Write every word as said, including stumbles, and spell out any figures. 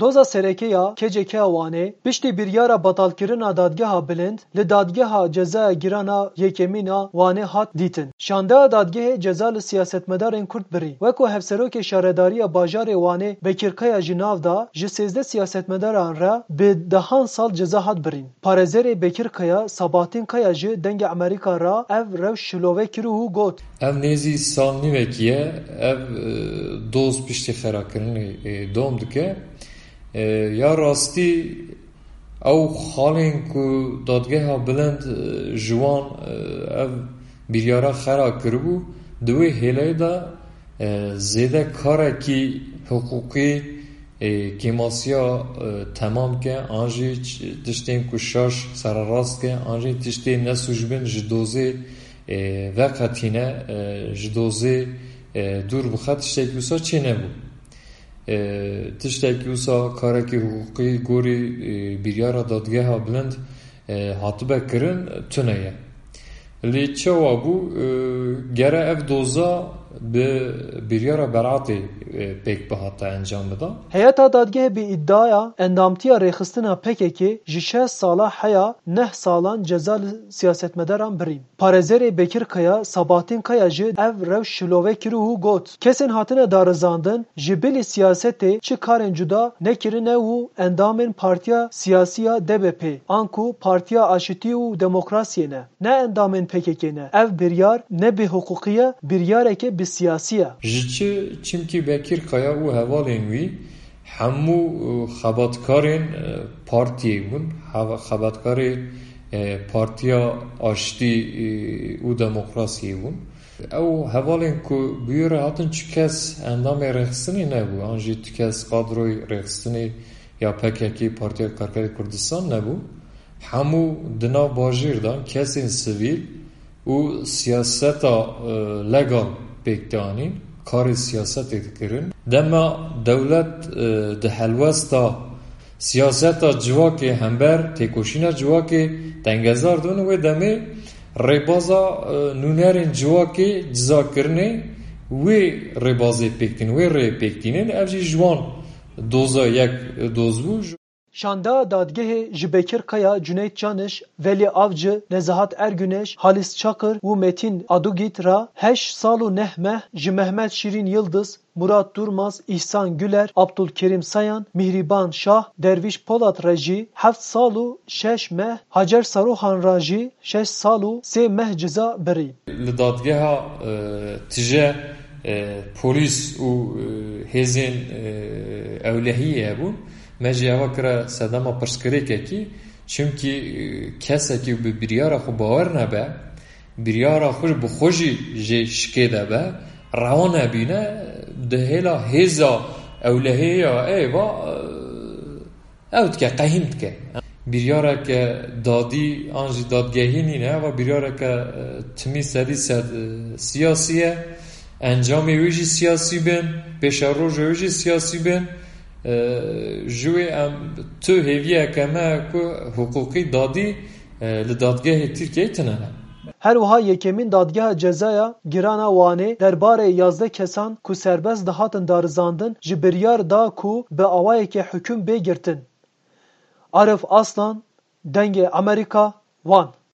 Doza sereke ya K C K a Wanê piştî biryara betalkirina Dadgeha Bilind li Dadgeha Cezaya Giran a Yekemîn a Wanê hat dîtin. Şandeya dadgehê ceza li siyasetmedarên Kurd birî. Weko Hevserokê Şaredariya Bajarê Wanê Bekir Kaya ji nav da, ji sêzdeh siyasetmedaran re bi dehan sal ceza hat birîn. Parêzerê Bekir Kaya Sabahattin Kaya ji Dengê Amerîka re ev rewş şilove kir û got: Ev nêzî sal nîvekî ye, ev, e, doz piştî xerakirinê, e, dom dike. E, ya rastî ew xalên ku Dadgeha Bilind, e, ji wan, e, ev biryara xera kiribû, di wê hêleyê de, e, zêde karekî hiqûqî, e, kêmasiya, e, temam ke, an jî ç-, tiştên ku şaş sererast ke, an jî tiştê nesûc bin ji dozê, e, veqetîne, e, ji dozê, e, dûr bixe, tiştekî wisa çênebû. E, tiştekî wisa karekî hiqûqî gorî, e, biryara Dadgeha Bilind, e, hatibe kirin, tune ye. Lê çawa bû, e, gere ev doza bi biryara beratê, e, pêk bihata encam bida? Heyeta dadgehê bi îdiaya endamtiya rêxistina P K K ji şeş sala heya neh salan ceza li siyasetmedaran birîn. Parêzerê Bekir Kaya Sabahattin Kaya jî ev rewş şilove kir û got: Kesên hatine darizandin ji bilî siyasetê çi karên cuda nekirine û endamên partiya siyasî ya D B P, anku Partiya Aşitî û Demokrasiyê ne, ne endamên P K K ne. Ev biryar ne bêhiqûqî ye, biryareke bi siyasî ye. Ji çi? Çimkî Bekir Kaya û hevalên wî hemû, e, xebatkarên, e, partiyê bûn, heva-, xebatkarê, e, Partiya Aştî, e, û Demokrasiyê bûn. Ew hevalên ku bi wî re hatin, çi kes endamê rêxistinê nebû, an jî tu kes kadroyê rêxistinê ya P K K, Partiya Karkerê Kurdistan nebû. Hemû di nav bajêr de kesên sivîl û siyaseta, e, legal pêk dianîn, karê siyasetê dikirin. Dema dewlet, e, di helwesta siyaseta civakê hember têkoşîna civakê tengezar dibin, wê demê rêbaza, e, nûnerên civakê cizakirinê wê rêbazê pêk tînin, wê rêyê pêk tînin, ev jî ji wan doza yek doz bû. Şandeya dadgehê ji Bekir Kaya, Cüneyt Canış, Velî Avcı, Nezahat Ergüneş, Halis Çakır û Metîn Adugît re heşt sal û neh meh, ji Mehmet Şîrîn Yildiz, Murat Durmaz, Îhsan Güler, Abdulkerim Sayan, Mihriban Şah, Dervîş Polat re jî heft sal û şeş meh, Hacer Saruhan re jî şeş sal û sê meh ceza birî. Li dadgeha, e, tije, e, polîs û, e, hêzên, e, ewlehiyê hebûn. Me jî eva kire sedema pirsgirêkekî, çimkî, e, kesekî bi biryara xwe bawer nebe, biryara xwe bi xwe jî jê şikê de be, rewa nebîne, di hêla hêza ewlehiyê ya ê va, e, ew dike, qehîn dike. Biryareke dadî an jî dadgehî nîne, eva biryareke, e, timî sedî sed, e, siyasî ye. Encamê wê jî siyasî bin, pêşeroja wê jî siyasî bin. E, ji wê em tu hêviyeke me ye ku hiqûqî dadî, e, li dadgehê Tirkiyeyê tune ne. Her wiha yekemîn Dadgeha Cezaya Giran a Wanê derbarê yazdeh kesan ku serbest dihatin darizandin ji biryar da ku bi awayeke hukum bê girtin. Arif Aslan, Dengê Amerîka, Wan.